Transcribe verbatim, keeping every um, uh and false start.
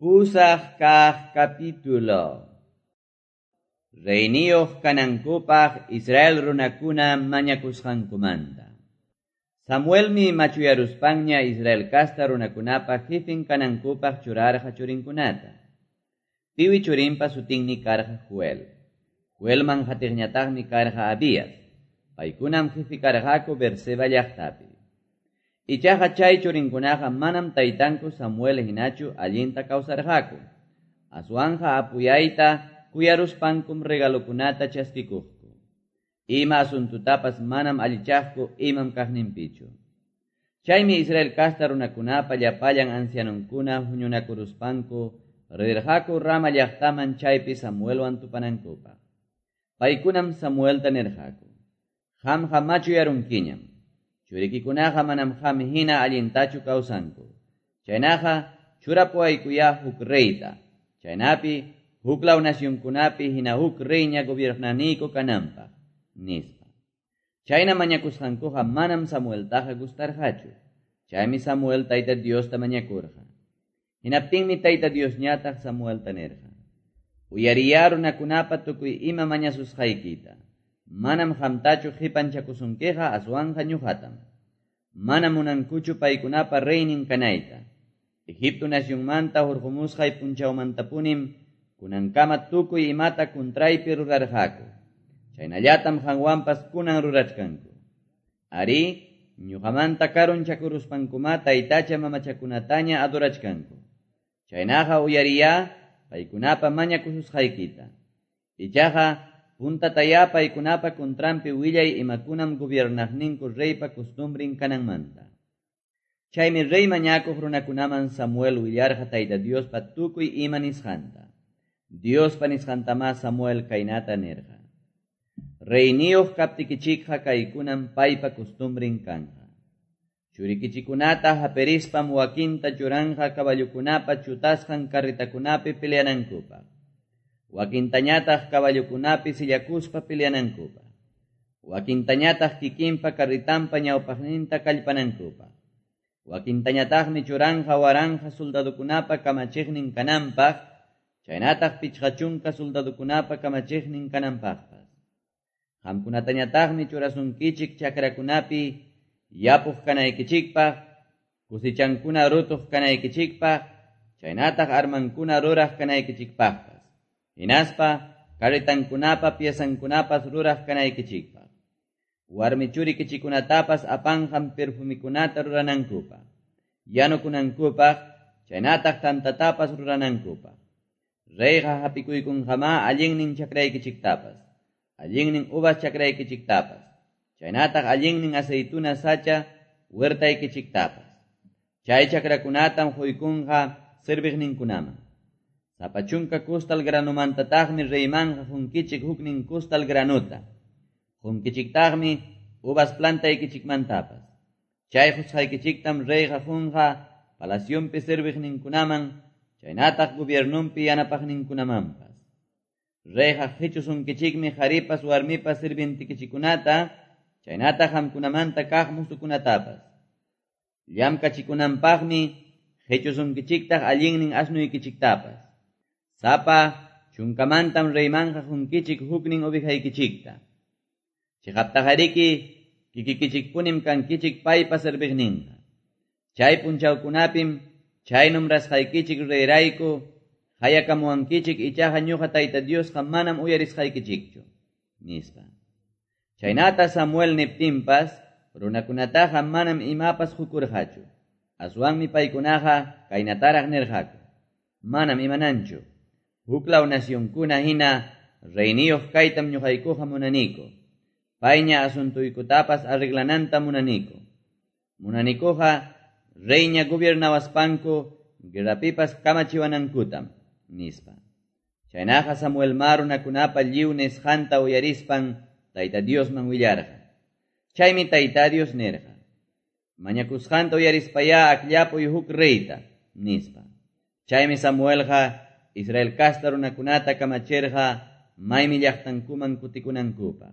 Pusaq kaq capítulo. Reyniyuq kanankupaq Israel runakuna mañakusqankumanta. Samuelmi machuyaruspanña Israel casta runakunapa jefin kanankupaq churarqa churinkunata. Piwi churinpa sutinmi karqa Joel. Joelman hatiqñataqmi karqa Abías. Paykunam jefi karqaku Berseba llaqtapi. Ichaqa chay churinkunaqa manam taytanku Samuel hinachu allinta kawsarqaku. Aswanja apuyayta kuyaruspankum regalokunata chaskikuqku. Ima asuntutapas manam allichaqku imam kaqninpichu. Chaymi Israel casta runakunapa llapallan ancianonkuna huñunakuruspanku rirqaku Rama llaqtaman chaypi Samuelwan tupanankupaq. Paykunam Samuelta nirqaku: Qamqa machuyarunkiñam. Churikikunaqa manam qam hina allintachu kawsanku. Chaynaqa churapuwaykuyá huk reyta. Chaynapi huklaw nacionkunapi hina huk reyña gobiernaniyku kananpaq, nispa. Chayna mañakusqankuqa manam Samueltaqa gustarqachu. Chaymi Samuel Tayta Diosta mañakurqa. Hinaptinmi Tayta Diosñataq Samuelta nirqa: Uyariyá runakunapa tukuy ima mañasusqaykita. Manam qamtachu qipanchakusunkiqa aswanqa ñuqatam. Manam munankuchu paykunapa reynin kanayta. Egipto nacionmanta hurqumusqay punchawmantapunim kunankama tukuy imata kuntraypi rurarqaku. Chaynallatam qanwanpas kunan rurachkanku. Ari, ñuqamanta karunchakuruspankuma taytacha mamachakunataña adorachkanku. Chaynaqa uyariyá paykunapa mañakususqaykita. Ichaqa puntatayá paykunapa kuntranpi willay imakunam gobiernaqninku reypa costumbrin kananmanta. Chaymi rey mañakuq runakunaman Samuel willarqa Tayta Diospa tukuy ima nisqanta. Diospa nisqantamá Samuel kaynata nirqa: Reyniyuq kaptikichikqa kaykunam paypa costumbrin kanqa. Churikichikunata hapirispam wakinta churanqa caballokunapa chutasqan carretakunapi peleanankupaq. Wakintañataq caballokunapi sillakuspa peleanankupaq. Wakintañataq kikinpa carretanpa ñawpaqninta kallpanankupaq. Wakintañataqmi churanqa waranqa soldadokunapa kamachiqnin kananpaq, chaynataq pichqa chunka soldadokunapa kamachiqnin kananpaqpas. Qamkunatañataqmi churasunkichik chakrakunapi yapuq kanaykichikpaq, kusichankuna rutuq kanaykichikpaq, chaynataq armankuna ruraq kanaykichikpaqpas. Hinaspa carretankunapa piezankunapas ruraq kanaykichikpaq. Warmi churikichikunatapas apanqam perfumikunata ruranankupaq, yanukunankupaq, chaynataq tantatapas ruranankupaq. Reyqa hapikuykunqamá allinnin chakraykichiktapas, allinnin uvas chakraykichiktapas, chaynataq allinnin aceituna sacha huertaykichiktapas. Chay chakrakunatam quykunqa serviqninkunaman. Sapa chunka kustal granumantataqmi reymanqa qunkichik huknin kustal granuta. Qunkichiktaqmi uvas plantaykichikmantapas. Chay qusqaykichiktam reyqa qunqa palacionpi serviqninkunaman, chaynataq gobiernunpi yanapaqninkunamanpas. Reyqa qichusunkichikmi qharipas warmipas sirvientikichikunata, chaynataq qamkunamanta kaq musukunatapas. Llamkachikunanpaqmi qichusunkichiktaq allinnin asnuykichiktapas. Sapa chunkamantam reymanqa qunkichik huknin ovejaykichikta. Chiqaptaqariki kikikichikpunim kankichik paypa serviqninqa. Chay punchawkunapim chay nombrasqaykichik reyrayku hayakamuwankichik ichaqa ñuqa Tayta Diosqa manam uyarisqaykichikchu, nispa. Chaynata Samuel niptinpas runakunataqa manam imapas qukurqachu. Aswanmi paykunaqa kaynataraq nirqaku: Manam imananchu. Huklaw nacionkuna hina reyniyuq kaytam ñuqaykuqa munaniku. Payña asuntuynkutapas arreglananta munaniku. Munanikuqa reyña gobiernawaspanku guerrapipas kamachiwanankutam, nispa. Chaynaqa Samuel ma runakunapa lliw nisqanta uyarispan Tayta Diosman willarqa. Chaymi Tayta Dios nirqa: Mañakusqanta uyarispayá akllapuy huk reyta, nispa. Chaymi Samuelqa Israel casta runakunata kamachirqa maymi llaqtankuman kutikunankupaq.